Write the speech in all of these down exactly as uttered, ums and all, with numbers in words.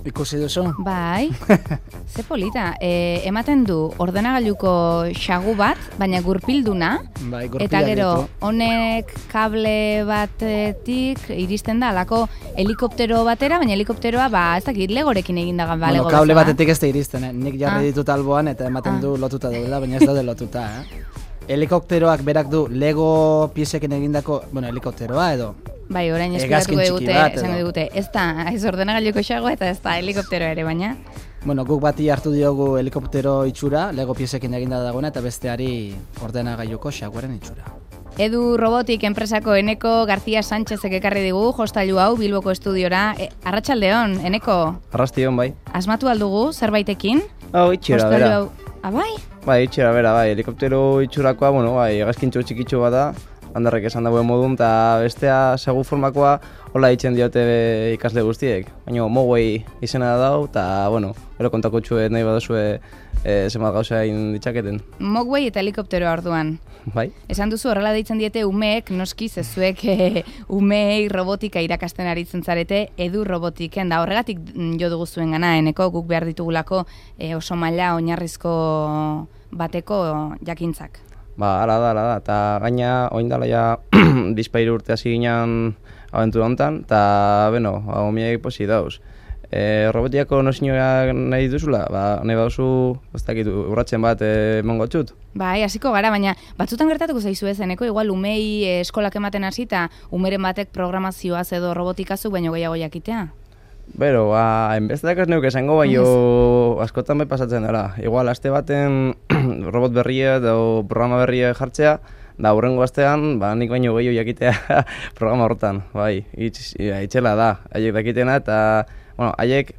Ikusi duzu? Bai, ze polita. E, ematen du ordenagailuko xagu bat, baina gurpilduna, bai, eta gero honek kable batetik iristen da alako helikoptero batera, baina helikopteroa ba, ez dakit legorekin egin dagan ba, bueno, lego kable bezala. batetik ez da iristen, eh? Nik jarri Ah. ditut alboan eta ematen Ah. du lotuta duela, baina ez daude lotuta, eh? Helikopteroak berak du Lego piezekin egindako, bueno, helikopteroa edo Bai, orain hegazkin eskutatuko txiki digute, bat, esango edo. digute, ez da, ez ordenagailuko xagoa eta ez da helikopteroa ere, baina. Bueno, guk bati hartu diogu helikoptero itxura, Lego piezekin eginda dagoena, eta besteari ordenagailuko xaguaren itxura. Edu Robotik enpresako Eneko García Sánchezek ekarri digu jostailu hau Bilboko estudiora. E, Arratsaldeon, Eneko, Arrastion, bai. asmatu aldugu zerbaitekin? Hau, itxera, Jostailu bera. hau- Ah, bai? Bai, itxera, bera, bai. Helikoptero itxurakoa, bueno, bai, hegazkintxo txikitxo bat da, handarrek esan dagoen modun, eta bestea segu formakoa hola ditzen diote ikasle guztiek. Baina Mogwai izena da dau, eta, bueno, gero kontako txue nahi baduzue e, zenbat gauza egin ditzaketen. Mogwai eta helikopteroa orduan. Bai? Esan duzu horrela deitzen diete umeek, noski zezuek e, umeei robotika irakasten aritzen zarete, Edu Robotiken da. Horregatik mm, jo dugu zuen gana, Eneko, guk behar ditugulako e, oso maila oinarrizko bateko jakintzak. Ba, ala da, ala da, eta gaina, oin dala ja, bizpairu urte hasi ginen abentura honetan, eta, beno, hau miek posi dauz. E, robotiako nosinioak nahi duzula, ba, nahi baduzu, ez dakit, urratzen bat e, emango txut. Bai, hasiko gara, baina batzutan gertatuko zaizu ez, Eneko, igual umei e, eskolak ematen hasi eta umeren batek programazioaz edo robotikazuk baino gehiago jakitea. Bero, ba, enbesteak ez neuk esango, baino askotan bai pasatzen dara. Igual, aste baten robot berria edo programa berria jartzea, da hurrengo astean, ba, nik baino gehiago jakitea programa horretan, bai, itx, itxela da, haiek dakitena, eta, bueno, haiek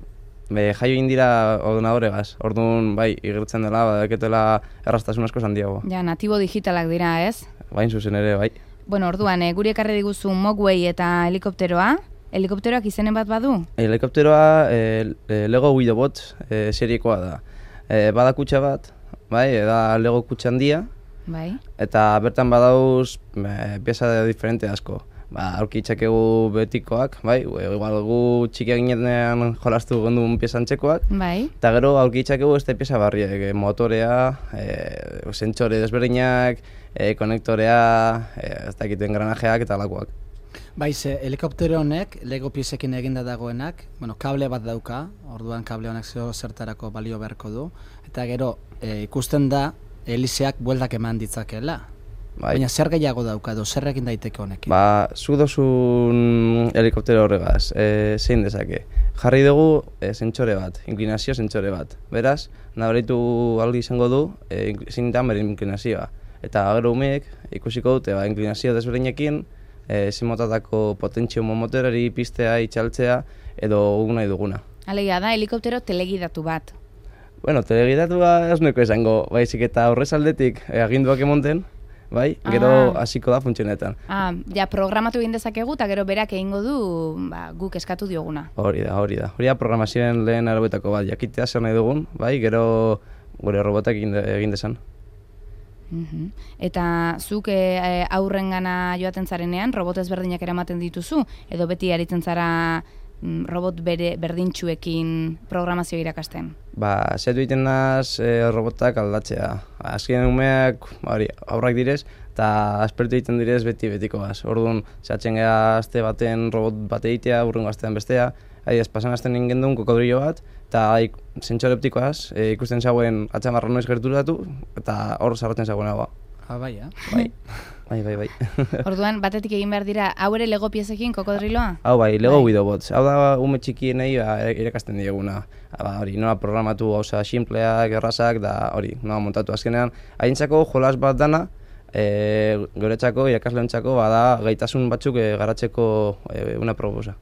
be, jaio indira ordenadoregaz, orduan, bai, igertzen dela, badaketela erraztasun asko handiago. Ja, natibo digitalak dira, ez? Bain zuzen ere, bai. Bueno, orduan, e, guri ekarri diguzu Mogwai eta helikopteroa. Helikopteroak izenen bat badu? Helikopteroa e, Lego Widowbot e, seriekoa da. E, bada kutxa bat, bai, da Lego kutxa handia, Bai. eta bertan badauz e, pieza diferente asko. Ba, aurki itzakegu betikoak, bai, igual gu txikiak ginean jolastu gondun pieza antzekoak, Bai. eta gero aurki itzakegu este pieza barriak, e, motorea, e, sentsore desberdinak, e, konektorea, e, ez dakit engranajeak eta alakoak. Bai, ze helikoptero honek, Lego piezekin eginda dagoenak, bueno, kable bat dauka, orduan kable honek zeo zertarako balio beharko du, eta gero e, ikusten da helizeak bueltak eman ditzakela. Bai. Baina zer gehiago dauka edo zer egin daiteke honekin? Ba, zu dozun helikoptero horregaz, e, zein dezake. Jarri dugu e, sentsore bat, inklinazio sentsore bat. Beraz, nabaritu aldi izango du, e, zein da bere inklinazioa. Eta gero umeek ikusiko dute, ba, inklinazio desberdinekin, e, zein motatako potentzio motorari pistea, itxaltzea, edo gu nahi duguna. Alegia da, helikoptero telegidatu bat. Bueno, telegidatua ez nuko esango, baizik eta horrez aldetik e, aginduak emonten, bai, gero Ah. hasiko da funtzionetan. Ah, ja, programatu egin dezakegu eta gero berak egingo du ba, guk eskatu dioguna. Hori da, hori da. Hori da programazioen lehen arabetako bat, jakitea zer nahi dugun, bai, gero gure robotak egin, de, egin desan. Mhm. Eta zuk e, aurrengana joaten zarenean, robot ezberdinak eramaten dituzu, edo beti aritzen zara mm, robot bere berdintxuekin programazio irakasten? Ba, zetu egiten naz e, robotak aldatzea. Azken umeak, hori, aurrak direz, eta aspertu egiten direz beti betikoaz. Orduan, zehatzen gara aste baten robot bat egitea, urrengo astean bestea, adidez, pasan asten ingen duen kokodrillo bat, eta sentsore optikoaz, e, ikusten zagoen atxamarra noiz gerturatu, eta hor sarratzen zagoen hau. Ah, bai, eh? Bai, bai, bai, bai. Orduan, batetik egin behar dira, hau ere Lego piezekin kokodriloa? Hau bai, Lego Bai. Widowbots. Hau da ume txikienei ba, irakasten dieguna. Ba, hori, nola programatu gauza simpleak, errazak, da hori, nola montatu azkenean. Haintzako jolas bat dana, e, guretzako, irakasleontzako, bada gaitasun batzuk e, garatzeko e, una proposa.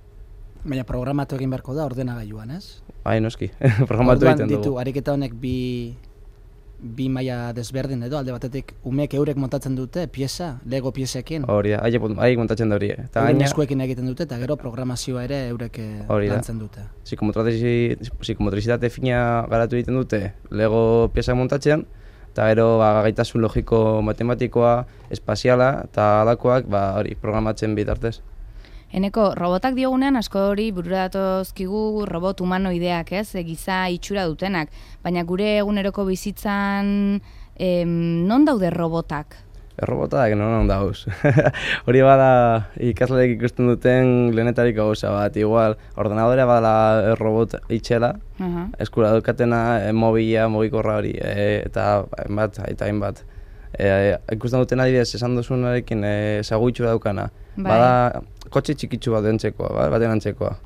Baina programatu egin beharko da ordenagailuan, ez? Bai, noski, programatu Orduan egiten ditu, dugu. ariketa honek bi, bi maila desberdin edo, alde batetik umeek eurek montatzen dute pieza, Lego piezekin. Hori da, haiek haiek montatzen da hori. Eta Euren gaina, eskuekin egiten dute, eta gero programazioa ere eurek eh, Hori da. lantzen dute. psikomotrizi- psikomotrizitate fina garatu egiten dute Lego pieza montatzean, eta gero ba, gaitasun logiko matematikoa, espaziala eta alakoak ba, hori, programatzen bitartez. Eneko, robotak diogunean asko hori burura datozkigu robot humanoideak, ez? E, giza itxura dutenak. Baina gure eguneroko bizitzan em, non daude robotak? Errobotak non dauz. Hori bada ikasleek ikusten duten lehenetariko gauza bat. Igual, ordenadorea bada robot itxela, uh-huh. eskura dukatena e, mobila, mobikorra hori, e, eta hainbat, eta hainbat. E, ikusten duten adibidez, esan duzunarekin e, sagutxura daukana. Bai. Bada kotxe txikitsu bat dentzekoa, ba, baten antzekoa.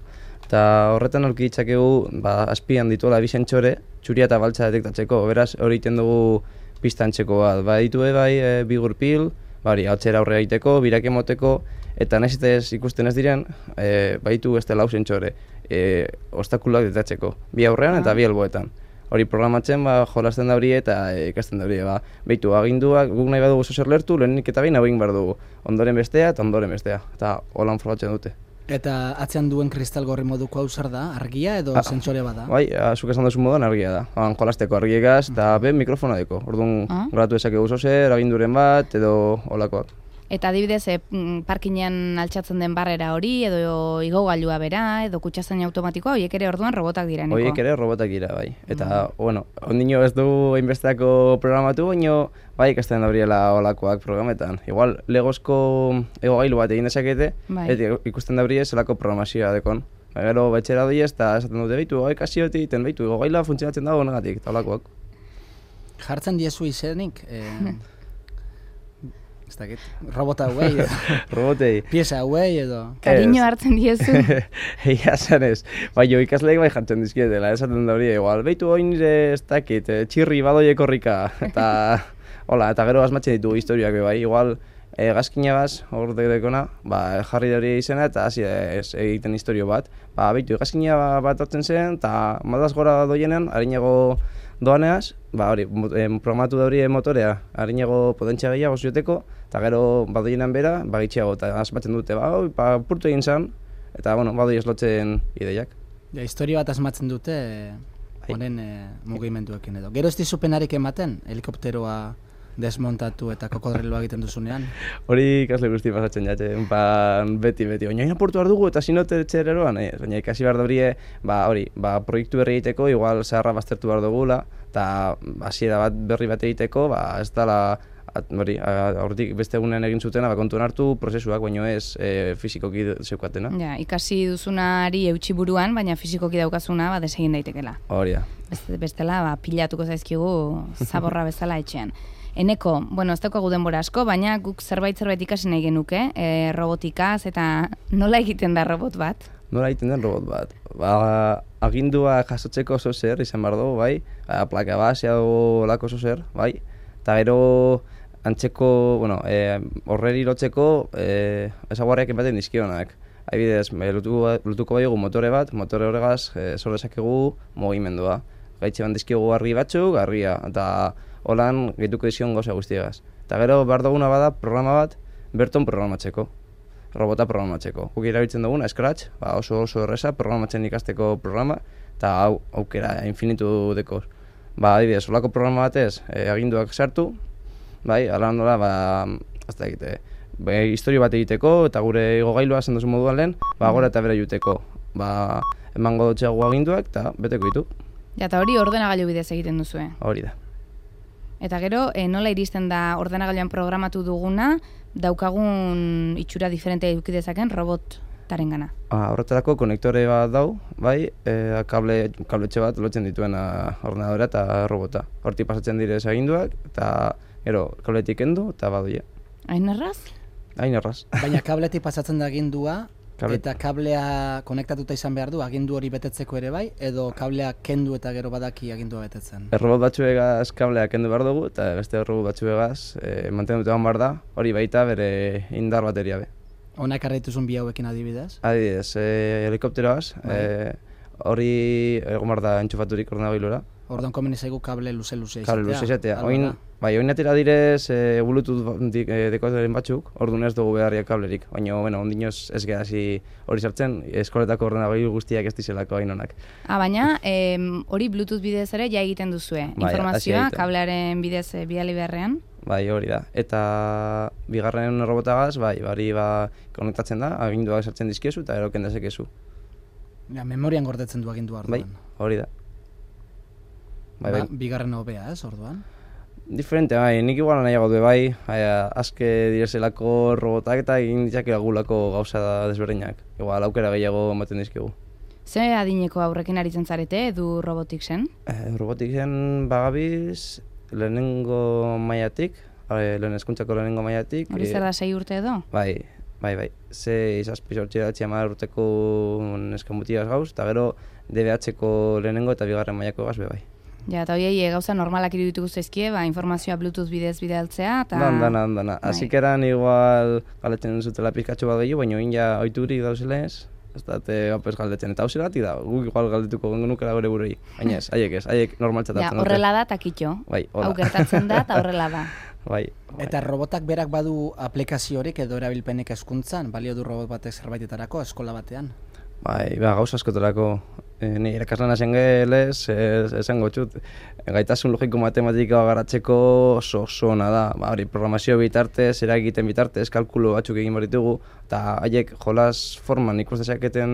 Eta horretan aurki ditzakegu, ba, azpian dituela bi sentsore, txuria eta baltza detektatzeko. Beraz, hori egiten dugu pista antzeko bat. Ba, ditue bai, e, bi gurpil, bari, hautzera aurre egiteko, birak emoteko, eta nahiz eta ez ikusten ez diren, e, baitu beste lau sentsore, e, obstakuloak detektatzeko. Bi aurrean eta bi alboetan. Hori programatzen, ba, jolasten da hori eta e, ikasten da hori. Ba, behitu, aginduak, guk nahi badugu zozer lertu, lehenik eta behin hau egin behar dugu. Ondoren bestea eta ondoren bestea. Eta holan frogatzen dute. Eta atzean duen kristal gorri moduko hau zer da? Argia edo ah, sentsore bada? Bai, zuk esan duzu moduan argia da. Han jolasteko argiegaz eta ben mikrofona deko. Orduan, ah? gratu ezakegu zozer, aginduren bat edo holakoak. Eta adibidez, e, parkinean altxatzen den barrera hori, edo igogailua bera, edo kutxazaina automatikoa, horiek ere orduan robotak dira, Eneko? Horiek ere robotak dira, bai. Eta, mm. bueno, ondino ez dugu hainbesteako programatu, baino, bai, ikasten dauriela olakoak programetan. Igual, legozko igogailu bat egin dezakete, bai. Eta ikusten daurie zelako programazioa dekon. Ba, gero, betxera doi ez, eta esaten dute, beitu, ikasi hoti egiten, beitu, igogailua funtzionatzen dago negatik, eta olakoak. Jartzen diezu izenik? Eh... Ez dakit, robota hauei edo, robotei. Pieza hauei edo. Kariño hartzen diezu. Egia zanez, bai jo ikasleek bai jartzen dizkietela, esaten da hori, igual, beitu hori nire ez dakit, txirri badoiek horrika, eta, hola, eta gero asmatzen ditugu historiak bai, igual, e, gazkina baz, hor dekona, ba, jarri da hori izena, eta hasi ez egiten historio bat, ba, beitu, gazkina bat hartzen zen, eta madaz gora doienean, harinago doaneaz, ba, hori, programatu da hori motorea, harinago potentzia gehiago zioteko, eta gero badoienan bera, bagitxeago, eta asmatzen dute, ba, hori, ba, purtu egin zan, eta, bueno, badoi eslotzen ideiak. Ja, historia bat asmatzen dute, honen e, mugimenduekin edo. Gero ez dizupenarik ematen, helikopteroa desmontatu eta kokodriloa egiten duzunean? Hori ikasle guzti pasatzen jate, ban, beti, beti, baina apurtu behar dugu eta sinote txereroan, eh? Baina ikasi behar daurie, ba, hori, ba, proiektu berri egiteko, igual zaharra baztertu behar dugula, eta hasiera bat berri bat egiteko, ba, ez dala, hori, horretik beste egunean egin zutena, ba, kontuan hartu prozesuak, baino ez e, fizikoki zeukatena. Ja, ikasi duzunari eutxi buruan, baina fizikoki daukazuna, ba, desegin daitekela. Hori da. Beste, bestela, ba, pilatuko zaizkigu zaborra bezala etxean. Eneko, bueno, ez daukagu denbora asko, baina guk zerbait-zerbait ikasi nahi genuke, e, robotikaz, eta nola egiten da robot bat? Nola egiten den robot bat? Ba, agindua jasotzeko oso zer, izan behar dugu, bai? Plaka basea dugu lako oso zer, bai? Eta gero antzeko, bueno, e, horreri lotzeko e, ezaguarriak ematen dizkionak. Adibidez, lutuko bai dugu motore bat, motore horregaz e, zor dezakegu mugimendua. Gaitxe ban dizkiogu argi batzuk, argia, eta holan gehituko dizion gauza guztiagaz. Eta gero behar duguna bada programa bat berton programatzeko, robota programatzeko. Guk erabiltzen duguna, Scratch, ba oso oso erreza programatzen ikasteko programa, eta hau aukera infinitu dekoz. Ba, adibidez, holako programa batez, e, aginduak sartu, bai, ala handola, ba, azta egite, ba, historio bat egiteko, eta gure igogailua zen duzu moduan lehen, ba, gora eta bera juteko. Ba, emango dutxeago aginduak, eta beteko ditu. Ja, eta hori ordenagailu bidez egiten duzue. Hori da. Eta gero, e, nola iristen da ordenagailuan programatu duguna, daukagun itxura diferente eduki dezaken robotaren gana? Ah, horretarako konektore bat dau, bai, e, kable, kabletxe bat lotzen dituena ordenadora eta robota. Hortik pasatzen direz aginduak, eta gero kabletik kendu eta badoia. Hain erraz? Hain erraz. Baina kabletik pasatzen da agindua, eta kablea konektatuta izan behar du, agindu hori betetzeko ere bai, edo kablea kendu eta gero badaki agindua betetzen? Errobot batzuegaz kablea kendu behar dugu, eta beste errobot batzuegaz e, mantenduta egon behar da, hori baita bere indar bateria be. Honak arraituzun bi hauekin adibidez? Adibidez, e, helikopteroaz, e, hori egon behar da entxufaturik ordenagailura. Orduan komeni zaigu kable luze-luze izatea. Kable luze izatea. Oin, bai, oin atera direz e, Bluetooth e, dekoderen batzuk, orduan ez dugu beharriak kablerik. Baina, bueno, ondinoz ez gehazi hori sartzen, eskoletako ordenagailu guztiak ez dizelako hain honak. Ah, baina, hori Bluetooth bidez ere ja egiten duzue. Bai, informazioa kablearen bidez e, bidali beharrean? Bai, hori da. Eta bigarren robotagaz, bai, bari ba, konektatzen da, aginduak sartzen dizkiezu eta eroken dezakezu. Ja, memorian gordetzen du agindua orduan. Bai, hori da. Bai, Ba, bai. bigarren hobea, ez, orduan? Diferente, bai, nik igual nahiago du bai, bai, azke direzelako robotak eta egin ditzake agulako gauza desberdinak. Igual aukera gehiago ematen dizkigu. Ze adineko aurrekin aritzen zarete edu robotiksen? Eh, robotiksen bagabiz lehenengo mailatik, eh, lehen hezkuntzako lehenengo mailatik. Hori zer da sei urte edo? Bai, bai, bai. Ze izazpi sortzi datzi hamar urteko neskamutigaz gauz, eta gero D B H-ko lehenengo eta bigarren mailako gaz be bai. Ja, eta horiei gauza normalak irudituko zaizkie, ba, informazioa Bluetooth bidez bidaltzea, eta... Dan, dana, dana. Asik eran igual galetzen zutela pizkatxo bat gehiago, baina oin ja oiturik dauzela ez, ez da, te gapes galdetzen. Eta hauze gati da, guk igual galdetuko genukela gure burei. Baina ez, haiek ez, haiek normaltzatzen. Ja, horrela da, takitxo. Bai, hola. Hau gertatzen da, eta horrela da. Bai, bai. Eta robotak berak badu aplikaziorik edo erabilpenek hezkuntzan, balio du robot batek zerbaitetarako eskola batean? Bai, ba, gauza askotarako. E, ni irakaslan hasen gehelez, esango txut, gaitasun logiko matematikoa garatzeko oso oso ona da. Ba, hori, programazio bitartez, eragiten bitartez, kalkulo batzuk egin behar ditugu, eta haiek jolas forman ikus dezaketen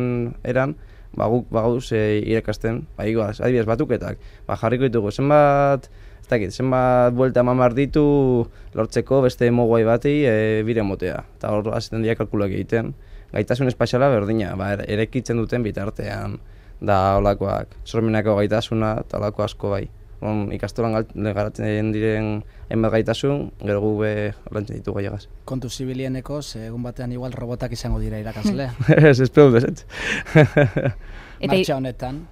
eran, ba, guk bagauz e, irakasten, ba, iguaz, adibidez batuketak, ba, jarriko ditugu, zenbat, ez dakit, zenbat buelta mamar ditu lortzeko beste moguai bati e, bire motea, eta hor azten dira kalkuloak egiten. Gaitasun espaziala berdina, ba, erekitzen duten bitartean, da olakoak, sormenako gaitasuna eta olako asko bai. On, ikastolan garatzen diren hainbat gaitasun, gero gu be lantzen ditu gaiagaz. Kontu zibilieneko, ze egun batean igual robotak izango dira irakasle. Ez, espero dut ez. Martxa honetan.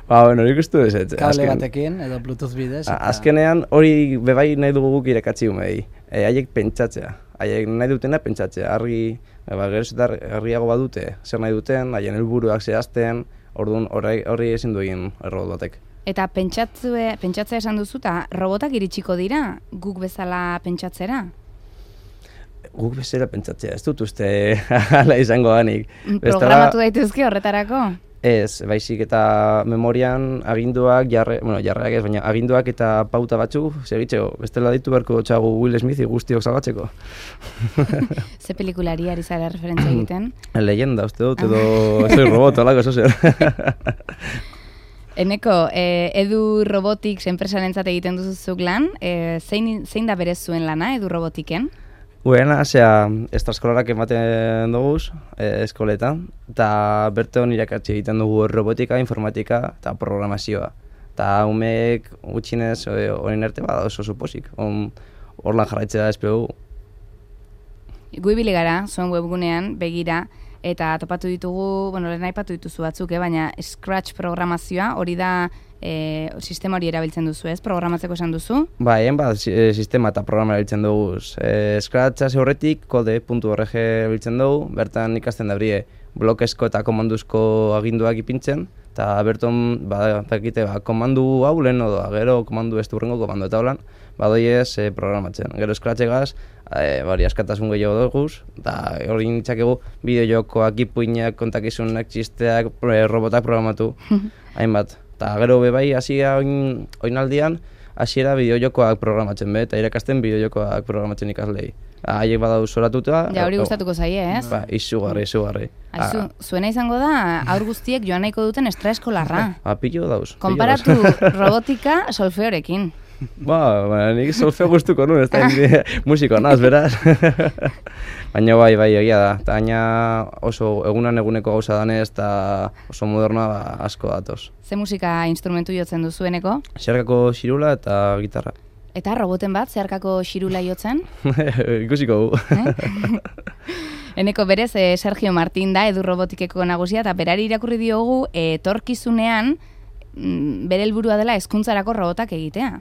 Ba, bueno, nik uste dut ez. Kable batekin edo Bluetooth bidez. Eta... Azkenean hori bebai nahi dugu guk irakatzi umei. E, haiek pentsatzea, haiek nahi dutena pentsatzea, argi, ba, gero zetar argiago badute, zer nahi duten, haien helburuak zehazten, orduan horri ezin du egin robot batek. Eta pentsatzea, pentsatzea esan duzu, eta robotak iritsiko dira, guk bezala pentsatzera? Guk bezala pentsatzea, ez dut uste hala izango ganik. Programatu daitezke horretarako? Ez, baizik eta memorian aginduak, jarre, bueno, jarreak ez, baina aginduak eta pauta batzuk segitzeko. Bestela ditu beharko txagu Will Smithi guztiok salbatzeko. Ze pelikulari ari zara referentzia egiten? Leyenda, uste dut, edo soy robot, olako, eso zer. Eneko, eh, Edu Robotics enpresarentzat egiten duzuzuk lan, eh, zein, zein da berez zuen lana Edu Robotiken? Guena, zera, estraskolarak ematen duguz, eh, eskoletan, eta berton irakatzi egiten dugu robotika, informatika eta programazioa. Eta umeek gutxinez horin arte bada oso suposik, hor lan jarraitzea espero dugu. Gu ibili gara, zuen webgunean, begira, eta topatu ditugu, bueno, lehen aipatu dituzu batzuk, eh, baina Scratch programazioa, hori da e, sistema hori erabiltzen duzu, ez? Programatzeko esan duzu? Ba, egin bat sistema eta programa erabiltzen dugu. E, Scratch hasi horretik kode puntu org erabiltzen dugu, bertan ikasten da brie blokezko eta komanduzko aginduak ipintzen, eta berton, ba, dakite, ba, komandu hau lehen odoa, gero komandu ez durrengo komandu eta holan, badoiez e, programatzen. Gero Scratch egaz, E, bari, askatasun gehiago duguz, eta hori nintzakegu bideo-jokoak, ipuinak, kontakizunak, txisteak, robotak programatu, hainbat. Eta gero bebai, hasia oin, oinaldian, hasiera bideo-jokoak programatzen be, eta irakasten bideo-jokoak programatzen ikaslei. Haiek badau zoratuta. Ja, hori gustatuko zaie, ez? Ba, izugarri, izugarri. Aizu, zuena izango da, aur guztiek joan nahiko duten estraeskolarra. Ba, pillo dauz. Konparatu robotika solfeorekin. Ba, ba, nik solfeo gustuko nuen, ez da musiko naz, beraz. Baina bai, bai, egia da. Eta baina oso egunan eguneko gauza danez, eta oso moderna ba, asko datoz. Ze musika instrumentu jotzen duzueneko? Zeharkako xirula eta gitarra. Eta roboten bat, zeharkako xirula jotzen? Ikusiko gu. Eneko berez, eh, Sergio Martin da, Edu Robotikeko nagusia, eta berari irakurri diogu, etorkizunean, mm, bere helburua dela hezkuntzarako robotak egitea.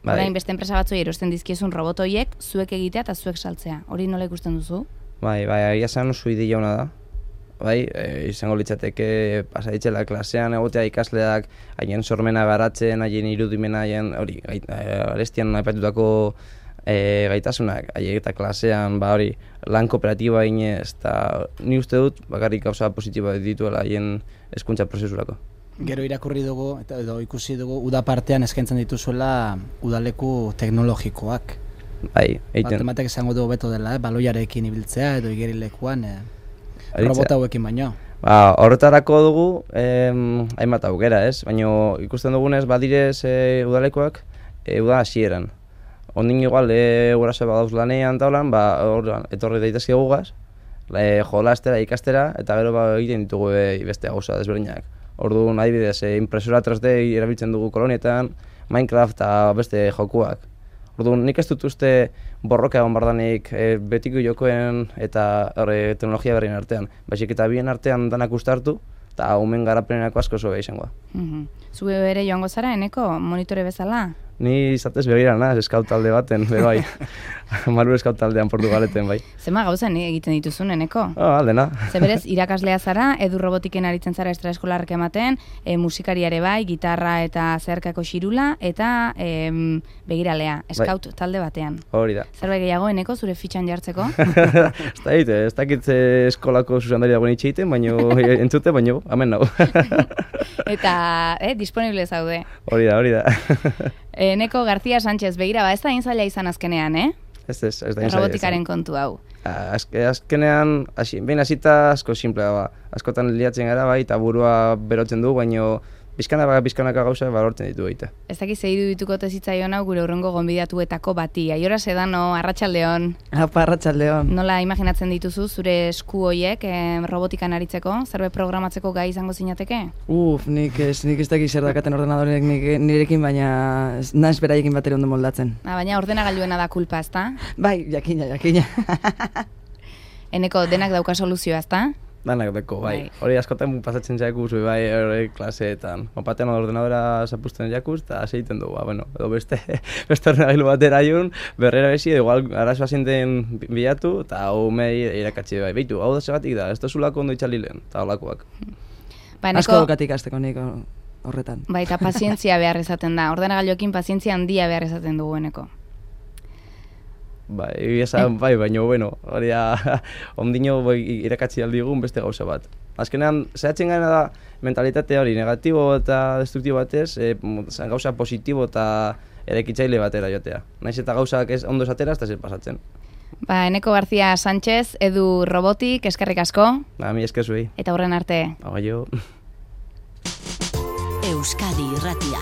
Orain beste enpresa batzoi erosten dizkiezun robot horiek zuek egitea eta zuek saltzea. Hori nola ikusten duzu? Bai, bai, agia zen oso ideia ona da. Bai, e, izango litzateke pasaditzela klasean egotea ikasleak haien sormena garatzen, haien irudimena, haien hori, arestian aipatutako e, gaitasunak, haiek eta klasean, ba hori, lan kooperatiba inez, eta ni uste dut bakarrik gauza positiboa dituela haien hezkuntza prozesurako. Gero irakurri dugu, eta edo ikusi dugu, uda partean eskaintzen dituzuela udaleku teknologikoak. Bai, egiten. Bat ematek esango du beto dela, eh? Baloiarekin ibiltzea edo igerilekuan eh? Aritzea. Robot hauekin baino. Ba, horretarako dugu em, hainbat aukera, ez? Baina ikusten dugunez badirez e, udalekoak e, uda hasieran. Ondin igual, e, guraso badauz lanean taulan, ba, orduan, etorri daitezke gugaz, e, jolastera, ikastera, eta gero ba, egiten ditugu e, beste gauza desberdinak. Orduan, adibidez, e, impresora tres D erabiltzen dugu kolonietan, Minecraft eta beste jokuak. Orduan, nik ez dut uste borroka egon bardanik e, betiko jokoen eta horre, teknologia berrien artean. Baizik eta bien artean danak ustartu, eta umen garapenenako asko zobe izango. Mm-hmm. Zue bere joango zara, Eneko, monitore bezala? Ni izatez begira naz, eskaut talde baten, be bai. Maru eskaut taldean Portugaleten, bai. Zema gauza egiten dituzun, Eneko? Oh, aldena. Ze berez, irakaslea zara, edu robotiken aritzen zara extraeskolarrak ematen, e, musikariare bai, gitarra eta zeharkako xirula, eta e, begiralea, eskaut bai. Talde batean. Hori da. Zerbait gehiago, Eneko, zure fitxan jartzeko? Ez da egite, ez dakit eskolako zuzendari dagoen itxeiten, baino entzute, baino, amen nago. Eta, eh, disponible zaude. Hori da, hori da. Eneko García Sánchez, begira, ba, ez da inzaila izan azkenean, eh? Ez, ez, ez da inzaila. Robotikaren kontu hau. Azke, azkenean, hasi, behin hasita asko simplea, ba. Askotan liatzen gara, bai, eta burua berotzen du, baino bizkana baka bizkanaka gauza balortzen ditu egite. Ez dakiz zeiru dituko tezitzaion hau gure urrengo gonbidatuetako bati. Aiora Sedano, Arratsaldeon. Apa, Arratsaldeon. Nola imaginatzen dituzu zure esku hoiek eh, robotikan aritzeko? Zerbait programatzeko gai izango zinateke? Uf, nik ez, nik ez dakiz zer dakaten ordenadorek nik, nirekin, baina naiz beraiekin batera ondo moldatzen. Ah, baina ordenagailuena da kulpa, ezta? Bai, jakina, jakina. Eneko denak dauka soluzioa, ezta? Danak deko, bai. Hori askotan pasatzen jakuz, bai, hori klaseetan. Batean ordenadora zapusten jakuz, eta seiten dugu, ba, bueno, edo beste, beste ordenagailu batera jun, berrera bezi, igual arazoa zinten bilatu, eta hau mei irakatzi, bai, behitu, hau da segatik da, ez da zulako ondo itxalilen, eta holakoak. Ba, Eneko, asko daukatik azteko nik horretan. Bai, eta pazientzia behar izaten da, ordenagailuekin pazientzia handia behar izaten dugu, Eneko. Bai, esan, bai, baina, bueno, hori da, ondino bai, irakatzi aldigun beste gauza bat. Azkenean, zehatzen gana da mentalitate hori negatibo eta destruktibo batez, e, gauza positibo eta erekitzaile batera jotea. Naiz eta gauzak ez ondo esatera, ez da zer pasatzen. Ba, Eneko García Sánchez, Edu Robotik, eskerrik asko. Ba, mi eskezuei. Eta horren arte. Ba, jo. Euskadi Irratia.